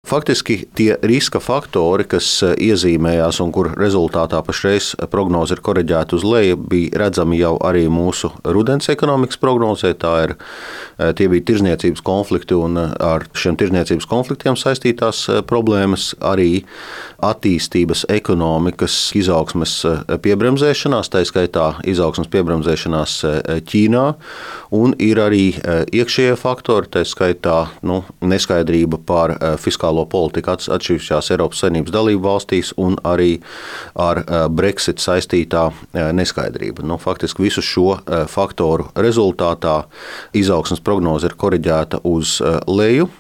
Faktiski tie riska faktori, kas iezīmējās un kur rezultātā pašreiz prognoze ir koriģēta uz leju, bija redzami jau arī mūsu rudens ekonomikas prognozē. Tie bija tirdzniecības konflikti un ar šiem tirdzniecības konfliktiem saistītās problēmas, arī attīstības ekonomikas izaugsmes piebremzēšanās, tā skaitā izaugsmes piebremzēšanās Ķīnā, un ir arī iekšējie faktori, tā skaitā neskaidrība par fiskālo politiku atsevišķās Eiropas Savienības dalību valstīs un arī ar Brexit saistītā neskaidrība. Faktiski visu šo faktoru rezultātā izaugsmes prognoze ir koriģēta uz leju.